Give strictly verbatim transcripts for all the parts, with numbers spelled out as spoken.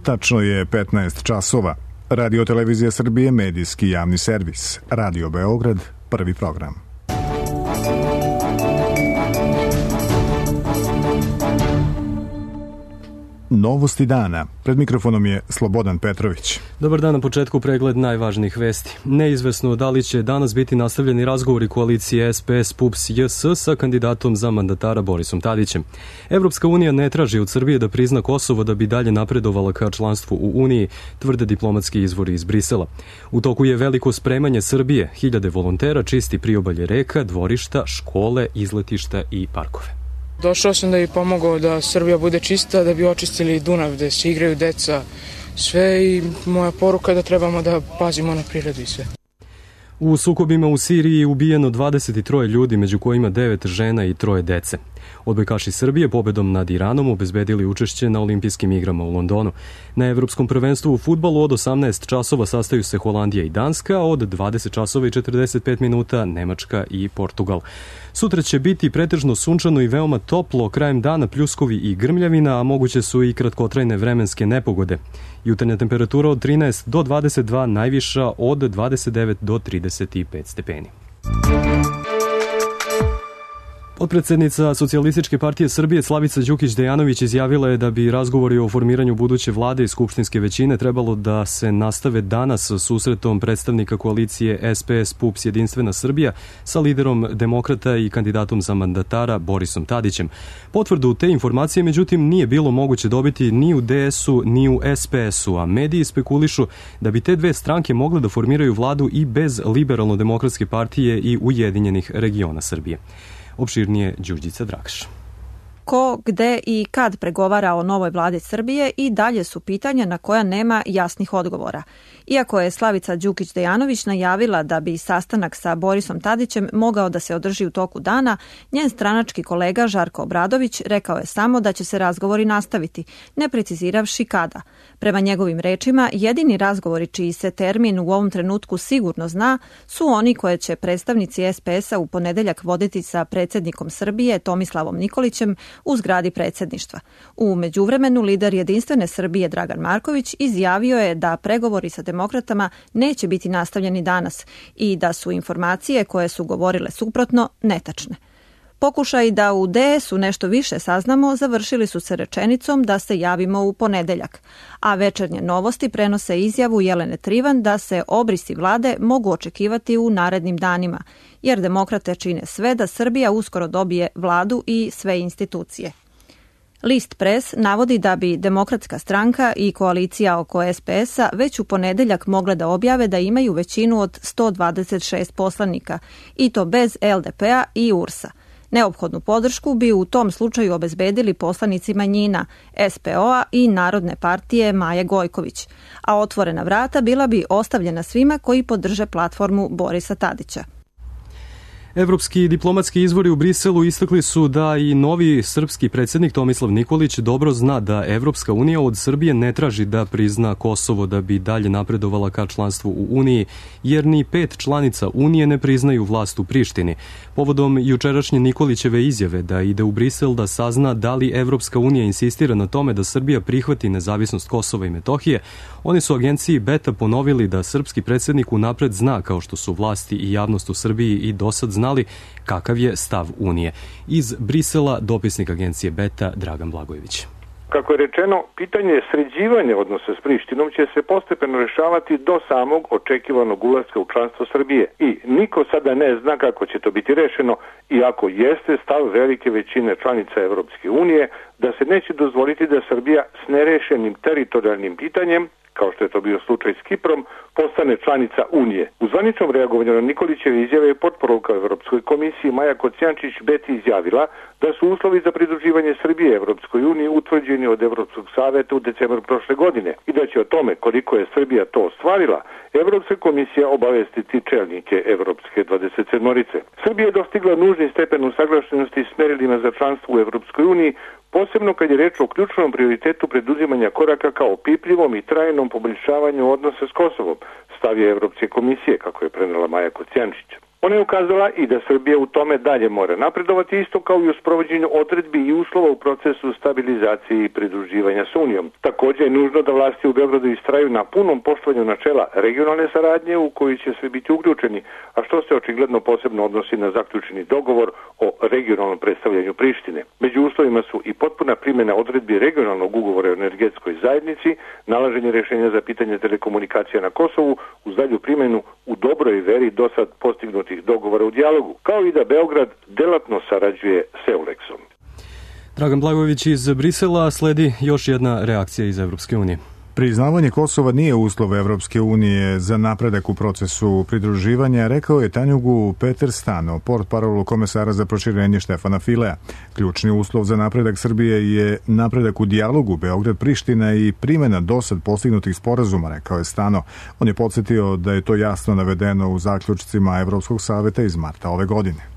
Tačno je petnaest časova. Radio Televizija Srbije, medijski javni servis. Radio Beograd, prvi program. Novosti dana. Pred mikrofonom je Slobodan Petrović. Dobar dan, na početku pregled najvažnijih vesti. Neizvesno da li će danas biti nastavljeni razgovori koalicije S P S P U P S J S sa kandidatom za mandatara Borisom Tadićem. Evropska unija ne traži od Srbije da prizna Kosovo da bi dalje napredovala ka članstvu u Uniji, tvrde diplomatski izvori iz Brisela. U toku je veliko spremanje Srbije. Hiljade volontera čisti priobalje reka, dvorišta, škole, izletišta i parkove. Došao sam da bi pomogao da Srbija bude čista, da bi očistili Dunav, da se igraju deca, sve, i moja poruka je da trebamo da pazimo na prirodu i sve. U sukobima u Siriji je ubijeno dvadeset tri ljudi, među kojima devet žena i troje dece. Odbojkaši Srbije pobedom nad Iranom obezbedili učešće na olimpijskim igrama u Londonu. Na Evropskom prvenstvu u fudbalu od osamnaest časova sastaju se Holandija i Danska, od dvadeset časova i četrdeset pet minuta Nemačka i Portugal. Sutra će biti pretežno sunčano i veoma toplo, krajem dana pljuskovi i grmljavina, a moguće su i kratkotrajne vremenske nepogode. Jutarnja temperatura od trinaest do dvadeset dva, najviša od dvadeset devet do trideset pet stepeni. Potpredsednica Socijalističke partije Srbije Slavica Đukić-Dejanović izjavila je da bi razgovori o formiranju buduće vlade i skupštinske većine trebalo da se nastave danas susretom predstavnika koalicije S P S P U P S Jedinstvena Srbija sa liderom demokrata i kandidatom za mandatara Borisom Tadićem. Potvrdu te informacije, međutim, nije bilo moguće dobiti ni u D S-u ni u S P S-u, a mediji spekulišu da bi te dve stranke mogle da formiraju vladu i bez Liberalno-demokratske partije i Ujedinjenih regiona Srbije. Opširnije Đurđica Dragš. Ko, gde i kad pregovara o novoj vladi Srbije i dalje su pitanja na koja nema jasnih odgovora. Iako je Slavica Đukić-Dejanović najavila da bi sastanak sa Borisom Tadićem mogao da se održi u toku dana, njen stranački kolega Žarko Obradović rekao je samo da će se razgovori nastaviti, ne preciziravši kada. Prema njegovim rečima, jedini razgovori čiji se termin u ovom trenutku sigurno zna su oni koje će predstavnici S P S-a u ponedeljak voditi sa predsjednikom Srbije Tomislavom Nikolićem u zgradi predsjedništva. U međuvremenu lider Jedinstvene Srbije Dragan Marković izjavio je da pregovori sa demokratama neće biti nastavljeni danas i da su informacije koje su govorile suprotno netačne. Pokušaj da u D S-u nešto više saznamo završili su se rečenicom da se javimo u ponedeljak, a Večernje novosti prenose izjavu Jelene Trivan da se obrisi vlade mogu očekivati u narednim danima, jer demokrate čine sve da Srbija uskoro dobije vladu i sve institucije. List Pres navodi da bi Demokratska stranka i koalicija oko S P S-a već u ponedeljak mogle da objave da imaju većinu od sto dvadeset šest poslanika, i to bez L D P-a i U R S-a. Neophodnu podršku bi u tom slučaju obezbedili poslanici manjina, S P O-a i Narodne partije Maje Gojković, a otvorena vrata bila bi ostavljena svima koji podrže platformu Borisa Tadića. Evropski diplomatski izvori u Briselu istakli su da i novi srpski predsjednik Tomislav Nikolić dobro zna da Evropska unija od Srbije ne traži da prizna Kosovo da bi dalje napredovala ka članstvu u Uniji, jer ni pet članica Unije ne priznaju vlast u Prištini. Povodom jučerašnje Nikolićeve izjave da ide u Brisel da sazna da li Evropska unija insistira na tome da Srbija prihvati nezavisnost Kosova i Metohije, oni su agenciji Beta ponovili da srpski predsjednik unapred zna, kao što su vlasti i javnost u Srbiji i dosad znali, kakav je stav Unije. Iz Brisela dopisnik agencije Beta Dragan Blagojević. Kako je rečeno, pitanje sređivanja odnosa s Prištinom će se postepeno rešavati do samog očekivanog ulaska u članstvo Srbije. I niko sada ne zna kako će to biti rešeno, iako jeste stav velike većine članica Evropske unije da se neće dozvoliti da Srbija s nerešenim teritorijalnim pitanjem, kao što je to bio slučaj s Kiprom, postane članica Unije. U zvaničnom reagovanju na Nikolićeve izjave je potporuka Evropskoj komisiji Maja Kocijančić-Beti izjavila da su uslovi za pridruživanje Srbije Evropskoj uniji utvrđeni od Evropskog saveta u decembru prošle godine i da će o tome koliko je Srbija to ostvarila Evropska komisija obavestiti čelnike Evropske dvadeset sedmorice. Srbija je dostigla nužni stepen usaglašenosti s merilima za članstvo u Evropskoj uniji, posebno kad je reč o ključnom prioritetu preduzimanja koraka kao opipljivom i trajnom poboljšavanju odnosa s Kosovom, stav je Evropske komisije, kako je prenela Maja Kocijančić. Ona je ukazala i da Srbija u tome dalje mora napredovati, isto kao i u sprovođenju odredbi i uslova u procesu stabilizacije i pridruživanja s Unijom. Također je nužno da vlasti u Beogradu istraju na punom poštovanju načela regionalne saradnje u koju će svi biti uključeni, a što se očigledno posebno odnosi na zaključeni dogovor o regionalnom predstavljanju Prištine. Među uslovima su i potpuna primjena odredbi regionalnog ugovora o energetskoj zajednici, nalaženje rješenja za pitanje telekomunikacija na Kosovu uz dalju primjenu u dobroj veri do sad postignutih dogovora u dijalogu, kao i da Beograd delatno sarađuje s Eulexom. Dragan Blagojević iz Brisela, sledi još jedna reakcija iz Evropske unije. Priznavanje Kosova nije uslov Evropske unije za napredak u procesu pridruživanja, rekao je Tanjugu Peter Stano, portparolu komesara za proširenje Štefana Filea. Ključni uslov za napredak Srbije je napredak u dijalogu Beograd-Priština i primjena dosad postignutih sporazuma, rekao je Stano. On je podsjetio da je to jasno navedeno u zaključcima Evropskog saveta iz marta ove godine.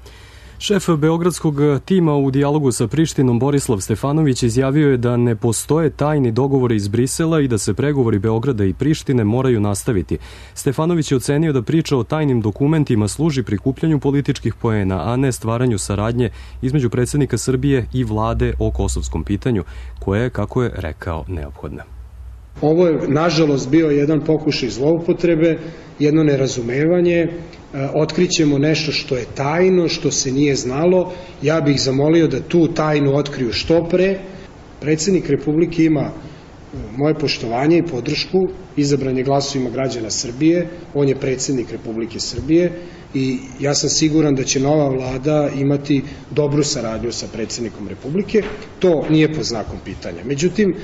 Šef beogradskog tima u dijalogu sa Prištinom Borislav Stefanović izjavio je da ne postoje tajni dogovori iz Brisela i da se pregovori Beograda i Prištine moraju nastaviti. Stefanović je ocenio da priča o tajnim dokumentima služi prikupljanju političkih poena, a ne stvaranju saradnje između predsjednika Srbije i vlade o kosovskom pitanju, koje je, kako je rekao, neophodna. Ovo je, nažalost, bio jedan pokušaj zloupotrebe, jedno nerazumevanje. Otkrićemo nešto što je tajno, što se nije znalo. Ja bih zamolio da tu tajnu otkriju što pre. Predsjednik Republike ima moje poštovanje i podršku, izabran je glasovima građana Srbije, on je predsjednik Republike Srbije i ja sam siguran da će nova vlada imati dobru saradnju sa predsjednikom Republike. To nije pod znakom pitanja. Međutim,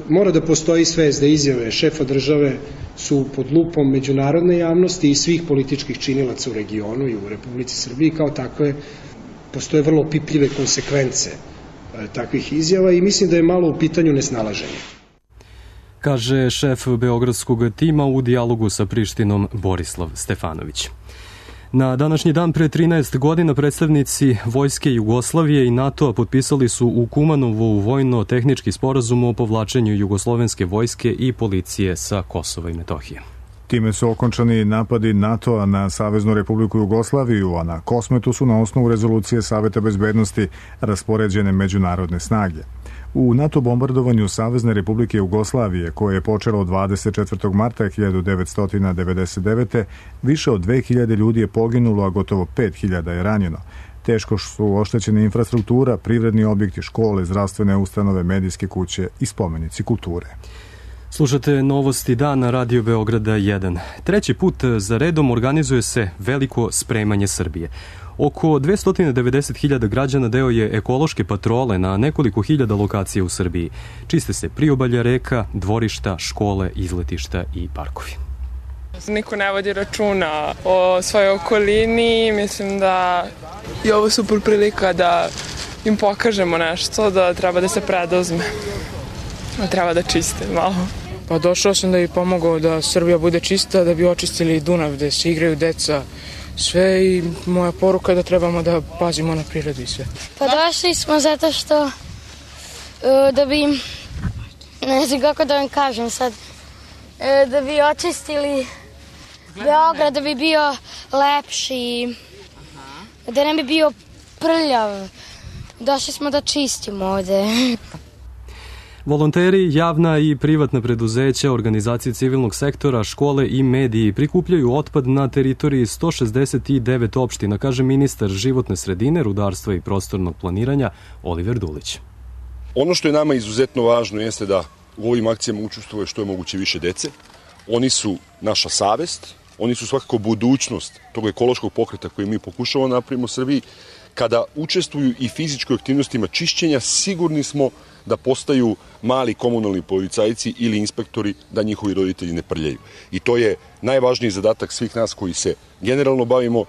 mora da postoji svest da izjave šefa države su pod lupom međunarodne javnosti i svih političkih činilaca u regionu i u Republici Srbiji. Kao takve postoje vrlo opipljive konsekvence takvih izjava i mislim da je malo u pitanju nesnalaženje. Kaže šef beogradskog tima u dijalogu sa Prištinom Borislav Stefanović. Na današnji dan pre trinaest godina predstavnici Vojske Jugoslavije i NATO-a potpisali su u Kumanovu vojno-tehnički sporazum o povlačenju jugoslovenske vojske i policije sa Kosova i Metohije. Time su okončani napadi NATO-a na Saveznu Republiku Jugoslaviju, a na Kosmetu su na osnovu rezolucije Saveta bezbednosti raspoređene međunarodne snage. U NATO bombardovanju Savezne Republike Jugoslavije, koje je počelo dvadeset četvrtog marta hiljadu devetsto devedeset devete. više od dve hiljade ljudi je poginulo, a gotovo pet hiljada je ranjeno. Teško su oštećene infrastruktura, privredni objekti, škole, zdravstvene ustanove, medijske kuće i spomenici kulture. Slušate novosti dana Radio Beograda jedan. Treći put za redom organizuje se veliko spremanje Srbije. Oko dvesta devedeset hiljada građana deo je ekološke patrole na nekoliko hiljada lokacija u Srbiji. Čiste se priobalja reka, dvorišta, škole, izletišta i parkovi. Niko ne vodi računa o svojoj okolini. Mislim da je ovo super prilika da im pokažemo nešto, da treba da se preduzme. Da treba da čiste malo. Pa došao sam da bi pomogao da Srbija bude čista, da bi očistili Dunav gde se igraju deca, sve, i moja poruka je da trebamo da pazimo na prirodu i sve. Pa došli smo zato što da bi, ne znam kako da vam kažem sad, da bi očistili Beograd, da bi bio lepši, da ne bi bio prljav. Došli smo da čistimo ovde. Volonteri, javna i privatna preduzeća, organizacije civilnog sektora, škole i mediji prikupljaju otpad na teritoriji sto šezdeset devet opština, kaže ministar životne sredine, rudarstva i prostornog planiranja Oliver Dulić. Ono što je nama izuzetno važno jeste da u ovim akcijama učestvuje što je moguće više dece. Oni su naša savest, oni su svakako budućnost tog ekološkog pokreta koji mi pokušavamo da napravimo u Srbiji. Kada učestvuju i fizičkoj aktivnostima čišćenja, sigurni smo da postaju mali komunalni policajci ili inspektori, da njihovi roditelji ne prljaju. I to je najvažniji zadatak svih nas koji se generalno bavimo e,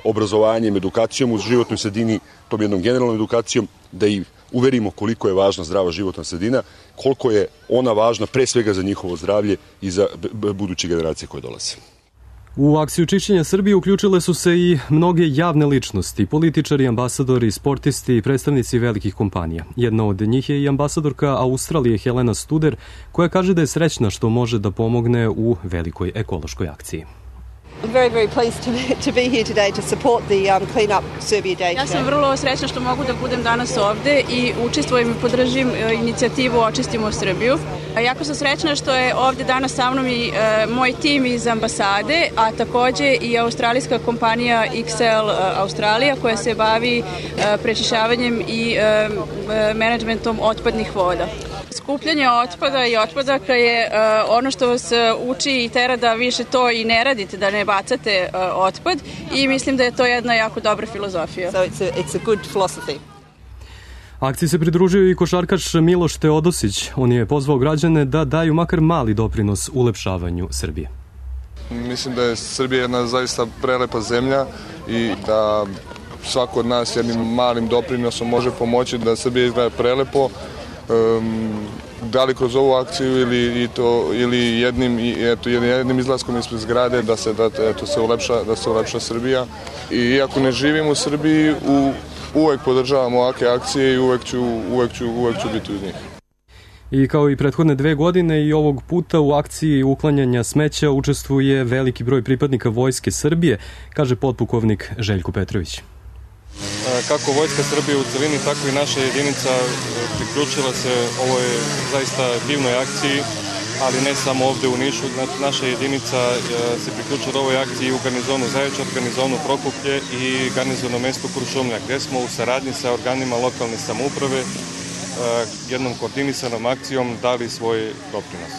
obrazovanjem, edukacijom u životnoj sredini, tom jednom generalnom edukacijom, da ih uverimo koliko je važna zdrava životna sredina, koliko je ona važna pre svega za njihovo zdravlje i za buduće generacije koje dolaze. U akciju čišćenja Srbije uključile su se i mnoge javne ličnosti, političari, ambasadori, sportisti i predstavnici velikih kompanija. Jedna od njih je i ambasadorka Australije Helena Studer, koja kaže da je srećna što može da pomogne u velikoj ekološkoj akciji. I'm very, very pleased to be, to be here today to support the um, Clean Up Serbia Day. Ja sam vrlo srećna što mogu da budem danas ovde i učestvujem i podržim inicijativu Očistimo Srbiju. Jako sam srećna što je ovde danas sa mnom i e, moj tim iz ambasade, a takođe i australijska kompanija X L Australija koja se bavi e, prečišćavanjem i e, menadžmentom otpadnih voda. Skupljanje otpada i otpadaka je uh, ono što vas uči i tera da više to i ne radite, da ne bacate uh, otpad i mislim da je to jedna jako dobra filozofija. So it's a, it's a good philosophy. Akciji se pridružio i košarkaš Miloš Teodosić. On je pozvao građane da daju makar mali doprinos ulepšavanju Srbije. Mislim da je Srbija jedna zaista prelepa zemlja i da svako od nas jednim malim doprinosom može pomoći da Srbija izgleda prelepo. Um, da li kroz ovu akciju ili i to ili jednim i eto jednim izlaskom ispred zgrade da se da eto se ulepša da se ulepša Srbija. I iako ne živim u Srbiji, u, uvek podržavam ovakve akcije i uvek ću uvek ću uvek ću biti uz njih. I kao i prethodne dve godine i ovog puta u akciji uklanjanja smeća učestvuje veliki broj pripadnika Vojske Srbije, kaže potpukovnik Željko Petrović. Kako Vojska Srbije u celini, tako i naša jedinica priključila se ovoj zaista divnoj akciji, ali ne samo ovde u Nišu. Naša jedinica se priključila ovoj akciji u garnizonu Zaječar, garnizonu Prokuplje i garnizonu mesto Kuršumlja, gde smo u saradnji sa organima lokalne samouprave jednom koordinisanom akcijom dali svoj doprinos.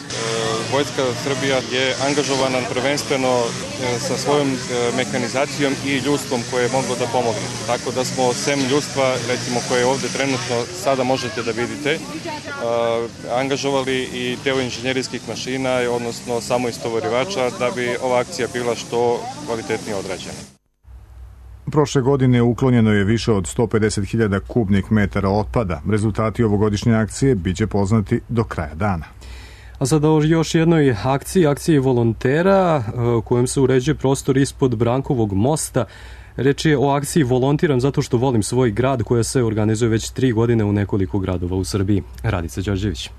Vojska Srbija je angažovana prvenstveno sa svojom mehanizacijom i ljudstvom koje je moglo da pomogne. Tako da smo sem ljudstva, recimo koje ovde trenutno sada možete da vidite, angažovali i deo inženjerijskih mašina, odnosno samo istovarivača, da bi ova akcija bila što kvalitetnije odrađena. Prošle godine uklonjeno je više od sto pedeset hiljada kubnih metara otpada. Rezultati ovogodišnje akcije biće poznati do kraja dana. A sada o još jednoj akciji, akciji volontera kojem se uređuje prostor ispod Brankovog mosta. Reč je o akciji Volontiram zato što volim svoj grad, koja se organizuje već tri godine u nekoliko gradova u Srbiji. Radica Đorđević.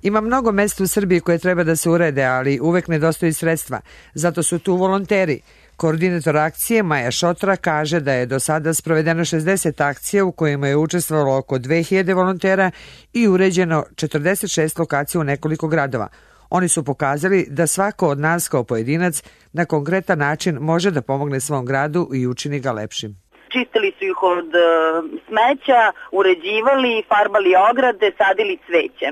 Ima mnogo mesta u Srbiji koje treba da se urede, ali uvek nedostaju sredstva. Zato su tu volonteri. Koordinator akcije Maja Šotra kaže da je do sada sprovedeno šezdeset akcija u kojima je učestvovalo oko dve hiljade volontera i uređeno četrdeset šest lokacija u nekoliko gradova. Oni su pokazali da svako od nas kao pojedinac na konkretan način može da pomogne svom gradu i učini ga lepšim. Čistili su ih od smeća, uređivali, farbali ograde, sadili cveće.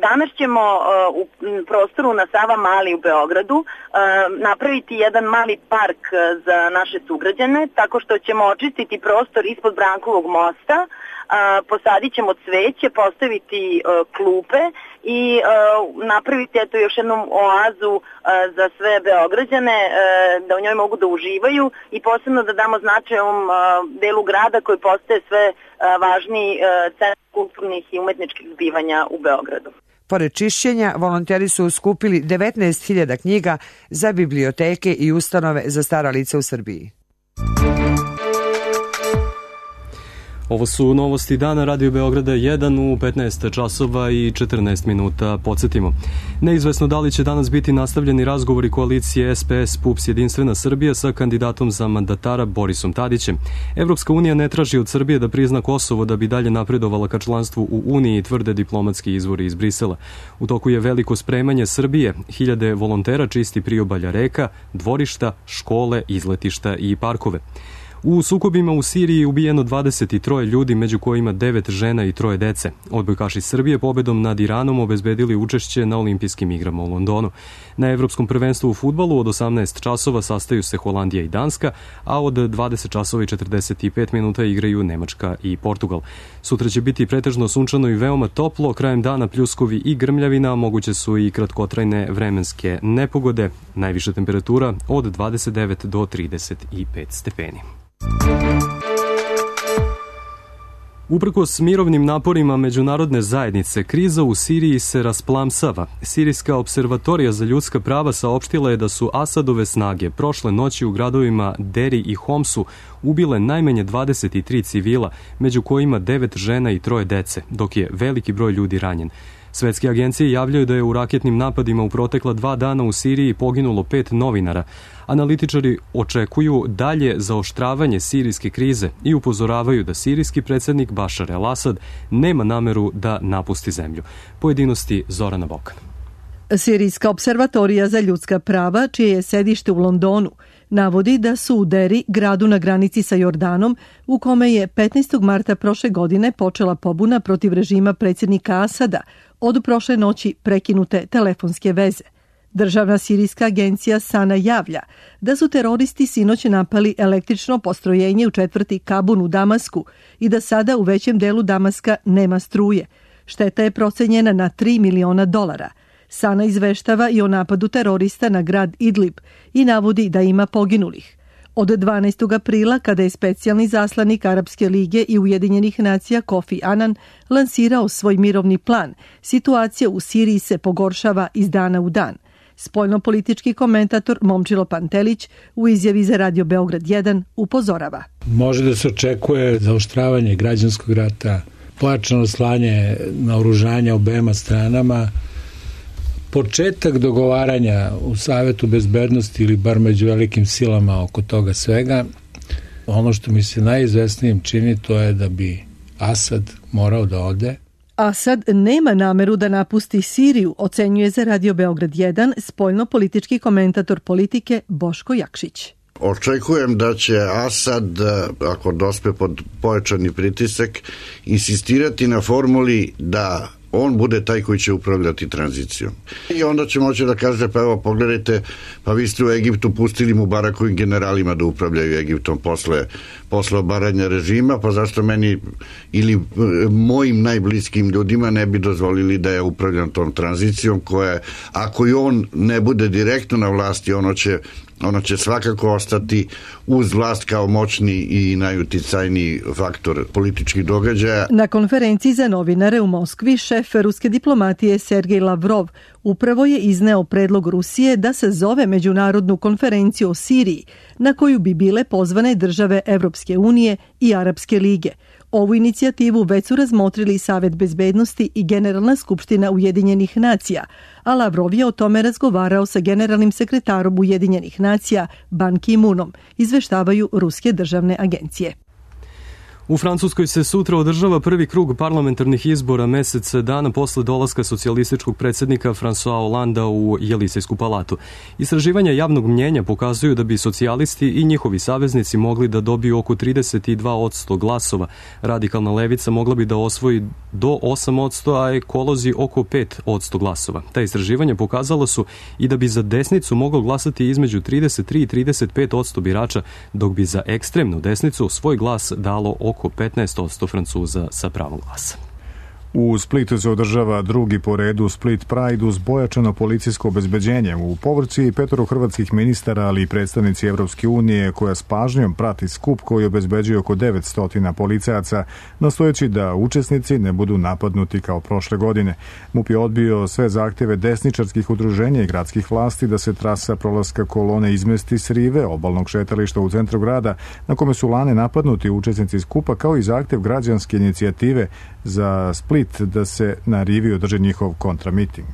Danas ćemo u prostoru na Sava Mali u Beogradu napraviti jedan mali park za naše sugrađane, tako što ćemo očistiti prostor ispod Brankovog mosta, posadit ćemo cveće, postaviti klupe i napraviti eto još jednu oazu za sve Beograđane, da u njoj mogu da uživaju i posebno da damo značaj ovom delu grada koji postaje sve važniji centar kulturnih i umetničkih zbivanja u Beogradu. Pored čišćenja, volonteri su skupili devetnaest hiljada knjiga za biblioteke i ustanove za stara lica u Srbiji. Ovo su novosti dana Radio Beograda jedan u petnaest časova i četrnaest minuta. Podsjetimo. Neizvesno da li će danas biti nastavljeni razgovori koalicije S P S P U P S Jedinstvena Srbija sa kandidatom za mandatara Borisom Tadićem. Evropska unija ne traži od Srbije da prizna Kosovo da bi dalje napredovala ka članstvu u Uniji, tvrde diplomatski izvori iz Brisela. U toku je veliko spremanje Srbije. Hiljade volontera čisti priobalja reka, dvorišta, škole, izletišta i parkove. U sukobima u Siriji je ubijeno dvadeset tri ljudi, među kojima devet žena i troje dece. Odbojkaši Srbije pobedom nad Iranom obezbedili učešće na olimpijskim igrama u Londonu. Na Evropskom prvenstvu u fudbalu od osamnaest časova sastaju se Holandija i Danska, a od dvadeset časova i četrdeset pet minuta igraju Nemačka i Portugal. Sutra će biti pretežno sunčano i veoma toplo, krajem dana pljuskovi i grmljavina, moguće su i kratkotrajne vremenske nepogode. Najviša temperatura od dvadeset devet do trideset pet stepeni. Uprkos mirovnim naporima međunarodne zajednice, kriza u Siriji se rasplamsava. Sirijska observatorija za ljudska prava saopštila je da su Asadove snage prošle noći u gradovima Deri i Homsu ubile najmanje dvadeset tri civila, među kojima devet žena i troje dece, dok je veliki broj ljudi ranjen. Svetske agencije javljaju da je u raketnim napadima u protekla dva dana u Siriji poginulo pet novinara. Analitičari očekuju dalje zaoštravanje sirijske krize i upozoravaju da sirijski predsjednik Bašar el-Asad nema nameru da napusti zemlju. Pojedinosti Zorana Bokan. Sirijska observatorija za ljudska prava, čije je sedište u Londonu, navodi da su u Deri, gradu na granici sa Jordanom, u kome je petnaestog marta prošle godine počela pobuna protiv režima predsjednika Asada, od prošle noći prekinute telefonske veze. Državna sirijska agencija Sana javlja da su teroristi sinoć napali električno postrojenje u četvrti Kabun u Damasku i da sada u većem delu Damaska nema struje. Šteta je procenjena na tri miliona dolara. Sana izveštava i o napadu terorista na grad Idlib i navodi da ima poginulih. Od dvanaestog aprila, kada je specijalni zaslanik Arapske lige i Ujedinjenih nacija Kofi Annan lansirao svoj mirovni plan, situacija u Siriji se pogoršava iz dana u dan. Spoljnopolitički komentator Momčilo Pantelić u izjavi za Radio Beograd jedan upozorava. Može da se očekuje zaoštravanje građanskog rata, pojačano slanje naoružanja obema stranama, početak dogovaranja u Savetu bezbednosti ili bar među velikim silama oko toga svega. Ono što mi se najizvesnijim čini to je da bi Asad morao da ode. Asad nema nameru da napusti Siriju, ocenjuje za Radio Beograd jedan spoljno-politički komentator politike Boško Jakšić. Očekujem da će Asad, ako dospe pod pojačani pritisak, insistirati na formuli da on bude taj koji će upravljati tranzicijom. I onda će moći da kaže, pa evo, pogledajte, pa vi ste u Egiptu pustili Mubarakovim generalima da upravljaju Egiptom posle, posle obaranja režima, pa zašto meni ili mojim najbliskim ljudima ne bi dozvolili da ja upravljam tom tranzicijom koja, ako i on ne bude direktno na vlasti, ono će ono će svakako ostati uz vlast kao moćni i najuticajniji faktor političkih događaja. Na konferenciji za novinare u Moskvi šef ruske diplomatije Sergej Lavrov upravo je izneo predlog Rusije da se zove međunarodnu konferenciju o Siriji, na koju bi bile pozvane države Evropske unije i Arapske lige. Ovu inicijativu već su razmotrili Savet bezbednosti i Generalna skupština Ujedinjenih nacija, a Lavrov je o tome razgovarao sa generalnim sekretarom Ujedinjenih nacija Ban Ki-moonom, izveštavaju ruske državne agencije. U Francuskoj se sutra održava prvi krug parlamentarnih izbora mesec dana posle dolaska socijalističkog predsjednika François Hollanda u Jelisejsku palatu. Istraživanja javnog mnjenja pokazuju da bi socijalisti i njihovi saveznici mogli da dobiju oko trideset dva posto glasova. Radikalna levica mogla bi da osvoji do osam posto, a ekolozi oko pet posto glasova. Ta istraživanja pokazala su i da bi za desnicu moglo glasati između trideset tri i trideset pet posto birača, dok bi za ekstremnu desnicu svoj glas dalo oko petnaest posto Francuza sa pravom glasa. U Splitu se održava drugi po redu Split Pride uz pojačano policijsko obezbeđenje. U povrći petoro hrvatskih ministara, ali i predstavnici Evropske unije, koja s pažnjom prati skup koji obezbeđuje oko devetsto policajaca, nastojeći da učesnici ne budu napadnuti kao prošle godine. MUP je odbio sve zahtjeve desničarskih udruženja i gradskih vlasti da se trasa prolaska kolone izmesti s rive obalnog šetališta u centru grada, na kome su lane napadnuti učesnici skupa, kao i zahtjev građanske inicijative za Split da se na rivi održi njihov kontramiting.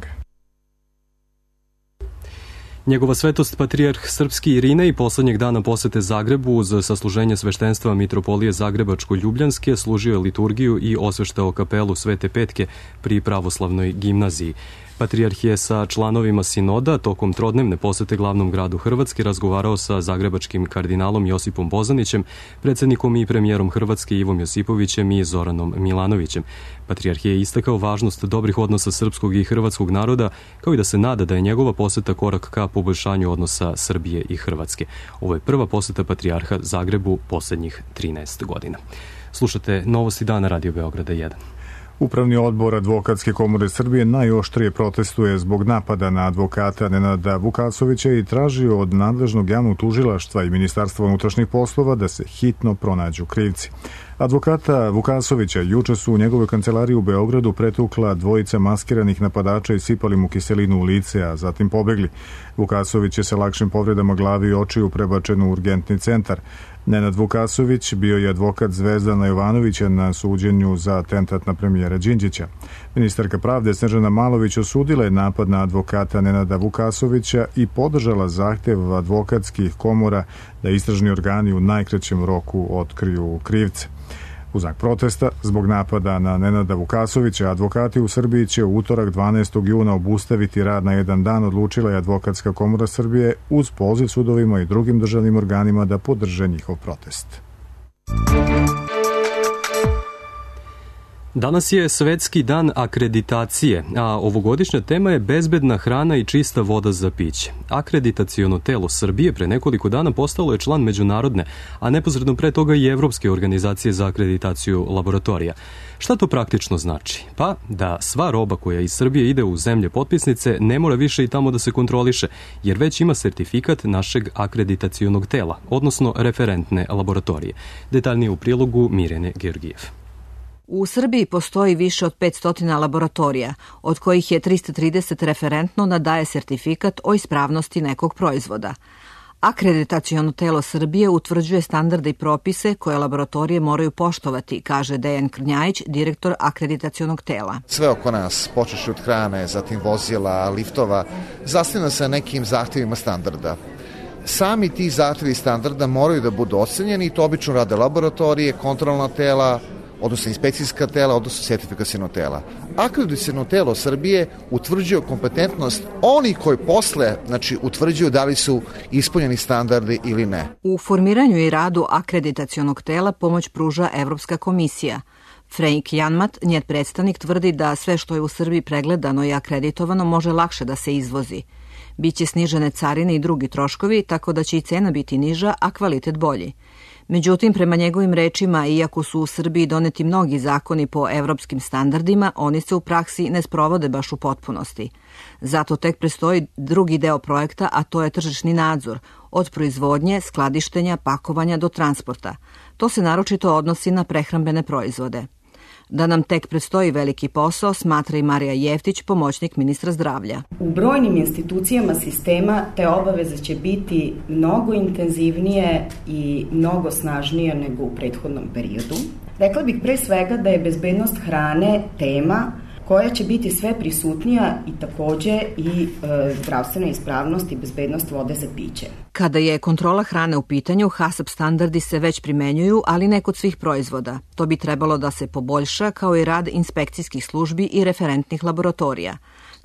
Njegova svetost patrijarh srpski Irinej poslednjeg dana posete Zagrebu uz sasluženje sveštenstva Mitropolije Zagrebačko-Ljubljanske služio je liturgiju i osveštao kapelu Svete Petke pri pravoslavnoj gimnaziji. Patrijarh je sa članovima sinoda tokom trodnevne posete glavnom gradu Hrvatske razgovarao sa zagrebačkim kardinalom Josipom Bozanićem, predsjednikom i premijerom Hrvatske Ivom Josipovićem i Zoranom Milanovićem. Patrijarh je istakao važnost dobrih odnosa srpskog i hrvatskog naroda, kao i da se nada da je njegova poseta korak ka poboljšanju odnosa Srbije i Hrvatske. Ovo je prva poseta patrijarha Zagrebu posljednjih trinaest godina. Slušate Novosti dana Radio Beograda jedan. Upravni odbor Advokatske komore Srbije najoštrije protestuje zbog napada na advokata Nenada Vukasovića i traži od nadležnog javnog tužilaštva i Ministarstva unutrašnjih poslova da se hitno pronađu krivci. Advokata Vukasovića juče su u njegovoj kancelariji u Beogradu pretukla dvojica maskiranih napadača i sipali mu kiselinu u lice, a zatim pobegli. Vukasović je sa lakšim povredama glavi i očiju prebačen u urgentni centar. Nenad Vukasović bio je advokat Zvezdana Jovanovića na suđenju za atentat na premijera Đinđića. Ministarka pravde Snežana Malović osudila je napad na advokata Nenada Vukasovića i podržala zahtev advokatskih komora da istražni organi u najkraćem roku otkriju krivce. U znak protesta zbog napada na Nenada Vukasovića, advokati u Srbiji će u utorak dvanaestog juna obustaviti rad na jedan dan, odlučila je Advokatska komora Srbije uz poziv sudovima i drugim državnim organima da podrže njihov protest. Danas je Svetski dan akreditacije, a ovogodišnja tema je bezbedna hrana i čista voda za piće. Akreditaciono telo Srbije pre nekoliko dana postalo je član međunarodne, a neposredno pre toga i Evropske organizacije za akreditaciju laboratorija. Šta to praktično znači? Pa da sva roba koja iz Srbije ide u zemlje potpisnice ne mora više i tamo da se kontroliše, jer već ima sertifikat našeg akreditacionog tela, odnosno referentne laboratorije. Detaljnije u prilogu Mirjane Georgijev. U Srbiji postoji više od petsto laboratorija, od kojih je trista trideset referentno nadaje sertifikat o ispravnosti nekog proizvoda. Akreditaciono telo Srbije utvrđuje standarde i propise koje laboratorije moraju poštovati, kaže Dejan Krnjajić, direktor akreditacionog tela. Sve oko nas, počeši od hrane, zatim vozila, liftova, zasniva se nekim zahtjevima standarda. Sami ti zahtjevi standarda moraju da budu ocenjeni i to obično rade laboratorije, kontrolna tela, odnosno inspekcijska tela, odnosno sertifikaciono tela. Akreditaciono telo Srbije utvrđuje kompetentnost onih koji posle, znači, utvrđuju da li su ispunjeni standardi ili ne. U formiranju i radu akreditacionog tela pomoć pruža Evropska komisija. Frank Janmat, njen predstavnik, tvrdi da sve što je u Srbiji pregledano i akreditovano može lakše da se izvozi. Biće snižene carine i drugi troškovi, tako da će i cena biti niža, a kvalitet bolji. Međutim, prema njegovim rečima, iako su u Srbiji doneti mnogi zakoni po evropskim standardima, oni se u praksi ne sprovode baš u potpunosti. Zato tek prestoji drugi deo projekta, a to je tržišni nadzor, od proizvodnje, skladištenja, pakovanja do transporta. To se naročito odnosi na prehrambene proizvode. Da nam tek predstoji veliki posao, smatra i Marija Jeftić, pomoćnik ministra zdravlja. U brojnim institucijama sistema te obaveze će biti mnogo intenzivnije i mnogo snažnije nego u prethodnom periodu. Rekla bih pre svega da je bezbednost hrane tema koja će biti sve prisutnija i takođe i e, zdravstvena ispravnost i bezbednost vode za piće. Kada je kontrola hrane u pitanju, HACCP standardi se već primenjuju, ali ne kod svih proizvoda. To bi trebalo da se poboljša, kao i rad inspekcijskih službi i referentnih laboratorija.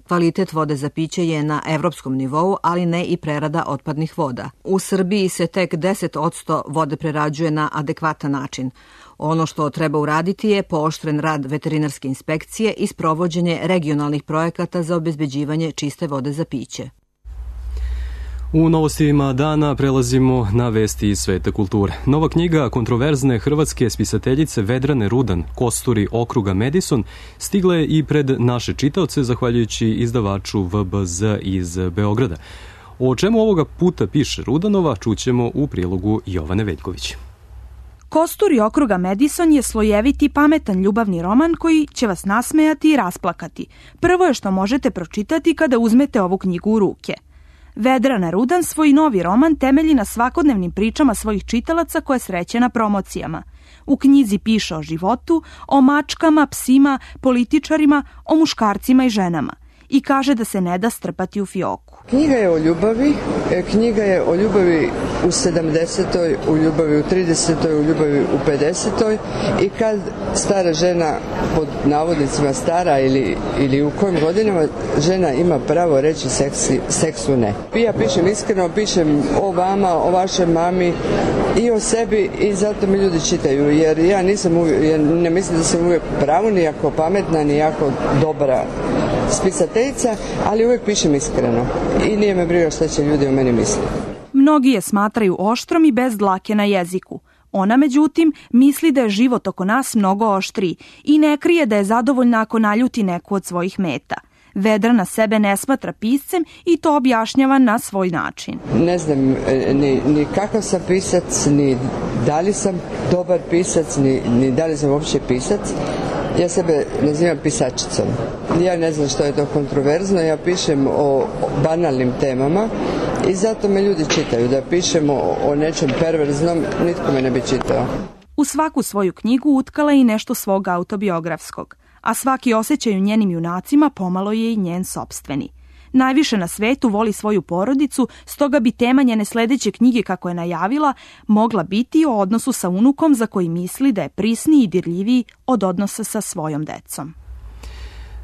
Kvalitet vode za piće je na evropskom nivou, ali ne i prerada otpadnih voda. U Srbiji se tek deset posto vode prerađuje na adekvatan način. Ono što treba uraditi je pooštren rad veterinarske inspekcije i sprovođenje regionalnih projekata za obezbeđivanje čiste vode za piće. U novostima dana prelazimo na vesti iz sveta kulture. Nova knjiga kontroverzne hrvatske spisateljice Vedrane Rudan, Kosturi okruga Madison, stigla je i pred naše čitaoce zahvaljujući izdavaču V B Z iz Beograda. O čemu ovoga puta piše Rudanova, čućemo u prilogu Jovane Veljković. Kosturi okruga Madison je slojeviti, pametan ljubavni roman koji će vas nasmejati i rasplakati. Prvo je što možete pročitati kada uzmete ovu knjigu u ruke. Vedrana Rudan svoj novi roman temelji na svakodnevnim pričama svojih čitalaca koje sreće na promocijama. U knjizi piše o životu, o mačkama, psima, političarima, o muškarcima i ženama. I kaže da se ne da strpati u fioku. Knjiga je o ljubavi, knjiga je o ljubavi u sedamdesetoj, u ljubavi u tridesetoj, u ljubavi u pedesetoj i kad stara žena, pod navodnicima stara ili, ili u kojim godinama žena ima pravo reći seksi, seksu ne. Ja pišem iskreno, pišem o vama, o vašoj mami i o sebi i zato mi ljudi čitaju jer ja nisam uvijek, ja ne mislim da sam uvijek pravu, ni jako pametna, ni jako dobra spisateljica, ali uvijek pišem iskreno i nije me briga šta će ljudi o meni misliti. Mnogi je smatraju oštrom i bez dlake na jeziku. Ona, međutim, misli da je život oko nas mnogo oštriji i ne krije da je zadovoljna ako naljuti neku od svojih meta. Vedrana sebe ne smatra piscem i to objašnjava na svoj način. Ne znam ni, ni kakav sam pisac, ni da li sam dobar pisac, ni, ni da li sam uopće pisac. Ja sebe nazivam pisačicom. Ja ne znam što je to kontroverzno, ja pišem o banalnim temama i zato me ljudi čitaju. Da pišem o, o nečem perverznom, nitko me ne bi čitao. U svaku svoju knjigu utkala je i nešto svog autobiografskog, a svaki osjećaj u njenim junacima pomalo je i njen sopstveni. Najviše na svetu voli svoju porodicu, stoga bi tema njene sledeće knjige, kako je najavila, mogla biti o odnosu sa unukom za koji misli da je prisniji i dirljiviji od odnosa sa svojom decom.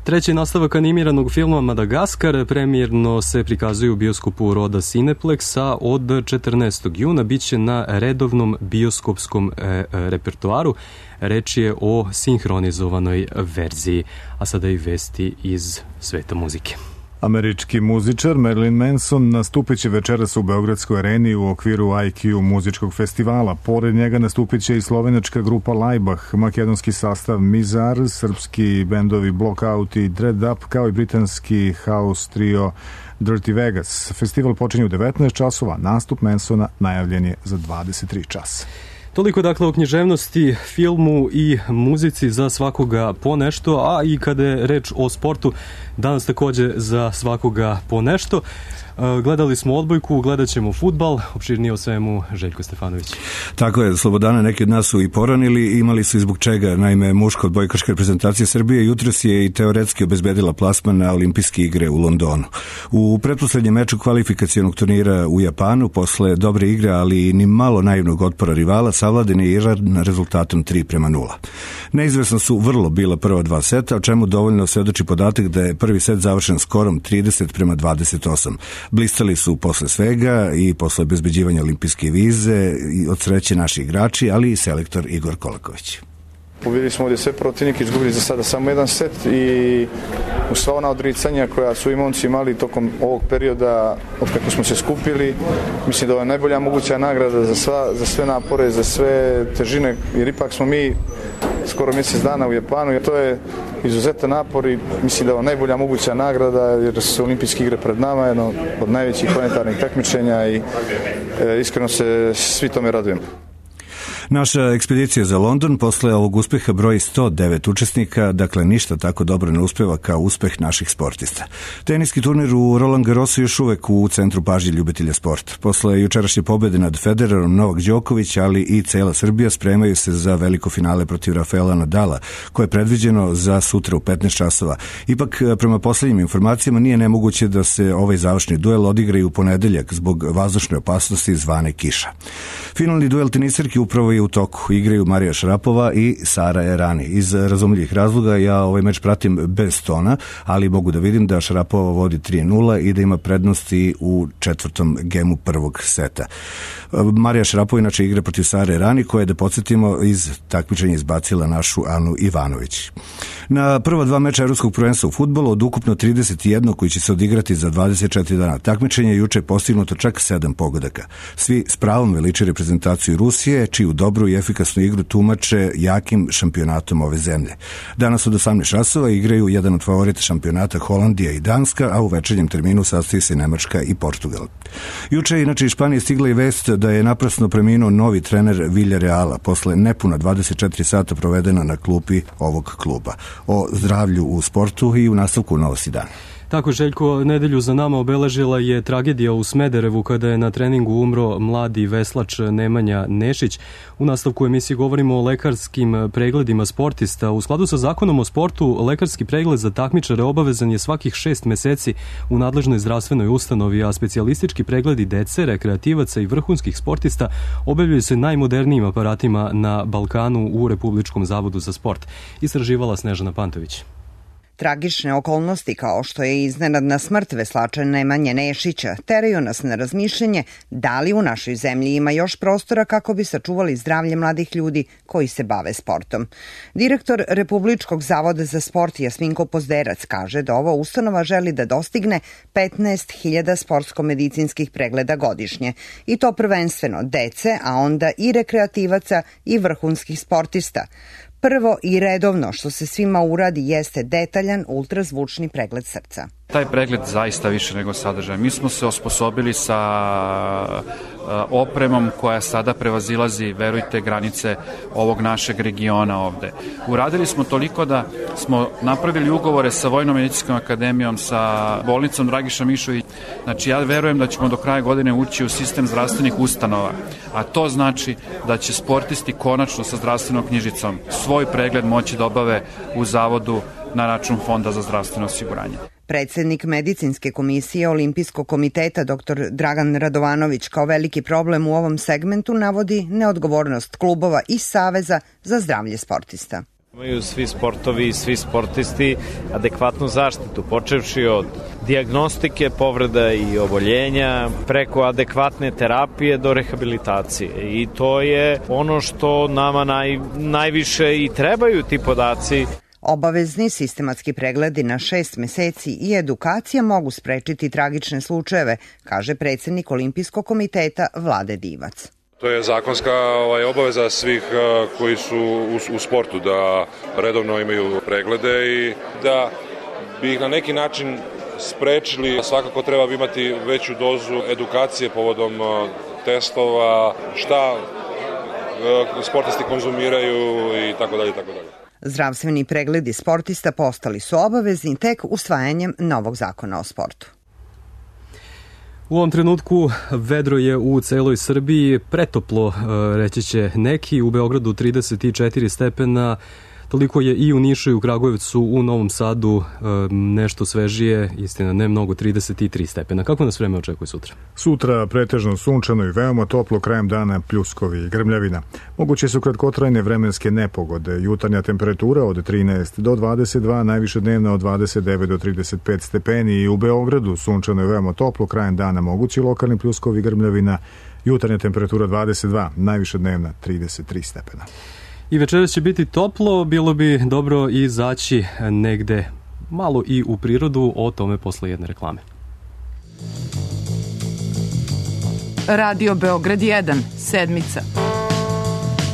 Treći nastavak animiranog filma Madagaskar premijerno se prikazuje u bioskopu Roda Cineplex, a od četrnaestog juna biće na redovnom bioskopskom e, repertoaru. Reč je o sinhronizovanoj verziji, a sada i vesti iz sveta muzike. Američki muzičar Marilyn Manson nastupit će večeras u Beogradskoj areni u okviru I Q muzičkog festivala. Pored njega nastupit će i slovenačka grupa Laibach, makedonski sastav Mizar, srpski bendovi Blockout i Dread Up, kao i britanski house trio Dirty Vegas. Festival počinje u devetnaest časova, nastup Mansona najavljen je za dvadeset tri časa. Toliko dakle o književnosti, filmu i muzici za svakoga po nešto, a i kada je reč o sportu, danas takođe za svakoga po nešto. Gledali smo odbojku, gledat ćemo fudbal, opširnije o svemu Željko Stefanović. Tako je, Slobodana, neki od nas su i poranili, imali su i zbog čega. Naime, muška odbojkaška reprezentacija Srbije jutros je i teoretski obezbedila plasman na olimpijske igre u Londonu. U pretposlednjem meču kvalifikacionog turnira u Japanu, posle dobre igre, ali ni malo naivnog otpora rivala, savladen je Iran rezultatom tri prema nula. Neizvesno su vrlo bila prva dva seta, o čemu dovoljno svedoči podatak da je prvi set završen skorom trideset prema dvadeset osam. Blistali su posle svega i posle obezbeđivanja olimpijske vize i od sreće naši igrači, ali i selektor Igor Kolaković. Pobjedili smo ovdje sve protivnike, izgubili za sada samo jedan set i u sva ona odricanja koja su i momci imali tokom ovog perioda od kako smo se skupili, mislim da ovo je najbolja moguća nagrada za, sva, za sve napore, za sve težine, jer ipak smo mi skoro mjesec dana u Japanu i to je izuzetan napor i mislim da je ovo najbolja moguća nagrada jer su olimpijske igre pred nama, jedno od najvećih planetarnih takmičenja i e, iskreno se svi tome radujemo. Naša ekspedicija za London posle ovog uspeha broji sto devet učesnika, dakle ništa tako dobro ne uspeva kao uspeh naših sportista. Teniski turnir u Roland Garrosu još uvek u centru pažnje ljubitelja sporta. Posle jučerašnje pobede nad Federerom, Novak Đoković, ali i cela Srbija spremaju se za veliko finale protiv Rafaela Nadala, koje je predviđeno za sutra u petnaest časova. Ipak, prema poslednjim informacijama, nije nemoguće da se ovaj završni duel odigra i u ponedeljak zbog vazdušne opasnosti zvane kiša. Finalni duel tenisarki upravo je u toku. Igraju Marija Šarapova i Sara Errani. Iz razumljivih razloga ja ovaj meč pratim bez tona, ali mogu da vidim da Šarapova vodi tri nula i da ima prednosti u četvrtom gemu prvog seta. Marija Šarapova inače igra protiv Sare Errani, koja je, da podsjetimo, iz takmičenja izbacila našu Anu Ivanović. Na prva dva meča evropskog prvenstva u fudbalu od ukupno trideset jedan koji će se odigrati za dvadeset četiri dana takmičenja, juče je postignuto čak sedam pogodaka. Svi s pravom veliče reprezentaciju Rusije, čiju dobru i efikasnu igru tumače jakim šampionatom ove zemlje. Danas od osamnaest časova igraju jedan od favorita šampionata Holandija i Danska, a u večernjem terminu sastoji se Nemačka i Portugal. Juče je inače iz Španije stigla i vest da je naprasno preminuo novi trener Villareala posle nepuna dvadeset četiri sata provedena na klupi ovog kluba. O zdravlju u sportu i u nastavku Novosti dan. Tako, Željko, nedelju za nama obeležila je tragedija u Smederevu kada je na treningu umro mladi veslač Nemanja Nešić. U nastavku emisije govorimo o lekarskim pregledima sportista. U skladu sa zakonom o sportu, lekarski pregled za takmičare obavezan je svakih šest meseci u nadležnoj zdravstvenoj ustanovi, a specijalistički pregledi dece, rekreativaca i vrhunskih sportista obavljaju se najmodernijim aparatima na Balkanu u Republičkom zavodu za sport. Istraživala Snežana Pantović. Tragične okolnosti kao što je iznenadna smrt veslača Nemanje Nešića teraju nas na razmišljanje da li u našoj zemlji ima još prostora kako bi sačuvali zdravlje mladih ljudi koji se bave sportom. Direktor Republičkog zavoda za sport Jasminko Pozderac kaže da ova ustanova želi da dostigne petnaest hiljada sportsko-medicinskih pregleda godišnje i to prvenstveno dece, a onda i rekreativaca i vrhunskih sportista. Prvo i redovno što se svima uradi jeste detaljan ultrazvučni pregled srca. Taj pregled zaista više nego sadržaj. Mi smo se osposobili sa opremom koja sada prevazilazi, verujte, granice ovog našeg regiona ovde. Uradili smo toliko da smo napravili ugovore sa Vojno-medicinskom akademijom, sa bolnicom Dragiša Mišović. Znači, ja verujem da ćemo do kraja godine ući u sistem zdravstvenih ustanova, a to znači da će sportisti konačno sa zdravstvenom knjižicom svoj pregled moći da obave u zavodu na račun Fonda za zdravstveno osiguranje. Predsednik medicinske komisije Olimpijskog komiteta dr Dragan Radovanović kao veliki problem u ovom segmentu navodi neodgovornost klubova i Saveza za zdravlje sportista. Imaju svi sportovi i svi sportisti adekvatnu zaštitu, počevši od dijagnostike, povreda i oboljenja, preko adekvatne terapije do rehabilitacije. I to je ono što nama naj, najviše i trebaju ti podaci. Obavezni sistematski pregledi na šest meseci i edukacija mogu sprečiti tragične slučajeve, kaže predsednik Olimpijskog komiteta Vlade Divac. To je zakonska ovaj, obaveza svih uh, koji su u, u sportu da redovno imaju preglede i da bi ih na neki način sprečili. Svakako treba imati veću dozu edukacije povodom uh, testova, šta uh, sportisti konzumiraju i tako dalje, tako dalje. Zdravstveni pregledi sportista postali su obavezni tek usvajanjem novog zakona o sportu. U ovom trenutku vedro je u celoj Srbiji, pretoplo reći će neki, u Beogradu trideset četiri stepena, toliko je i u Nišu i u Kragujevcu, u Novom Sadu nešto svežije, istina ne mnogo, trideset tri stepena. Kako nas vreme očekuje sutra? Sutra pretežno sunčano i veoma toplo, krajem dana pljuskovi i grmljavina. Moguće su kratkotrajne vremenske nepogode, jutarnja temperatura od trinaest do dvadeset dva, najviše dnevna od dvadeset devet do trideset pet stepeni i u Beogradu sunčano i veoma toplo, krajem dana mogući lokalni pljuskovi i grmljavina, jutarnja temperatura dvadeset dva, najviše dnevna trideset tri stepena. I večeras će biti toplo, bilo bi dobro izaći negde malo i u prirodu, o tome posle jedne reklame. Radio Beograd jedan, sedmica.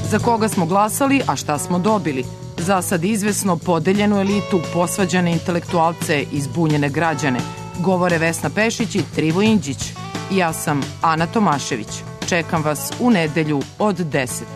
Za koga smo glasali, a šta smo dobili? Za sad izvesno podeljenu elitu, posvađane intelektualce i zbunjene građane. Govore Vesna Pešić i Trivo Indžić. Ja sam Ana Tomašević. Čekam vas u nedelju od deset.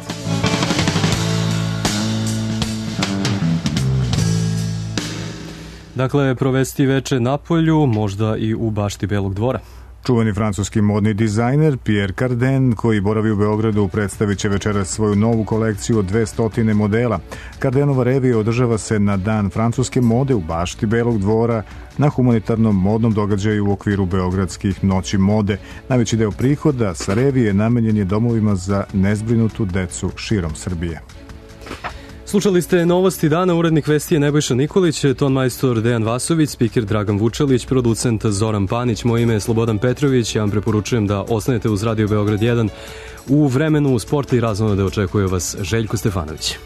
Dakle, provesti veče na polju, možda i u bašti Belog dvora. Čuveni francuski modni dizajner Pierre Cardin, koji boravi u Beogradu, predstavit će večeras svoju novu kolekciju od dvesta modela. Cardinova revija održava se na Dan francuske mode u bašti Belog dvora na humanitarnom modnom događaju u okviru Beogradskih noći mode. Najveći deo prihoda sa revije namenjen je domovima za nezbrinutu decu širom Srbije. Slušali ste novosti dana, urednik vesti je Nebojša Nikolić, ton majstor Dejan Vasović, spiker Dragan Vučelić, producent Zoran Panić, moje ime je Slobodan Petrović, ja vam preporučujem da ostanete uz Radio Beograd jedan u vremenu sporta i razvoja da očekuje vas Željko Stefanović.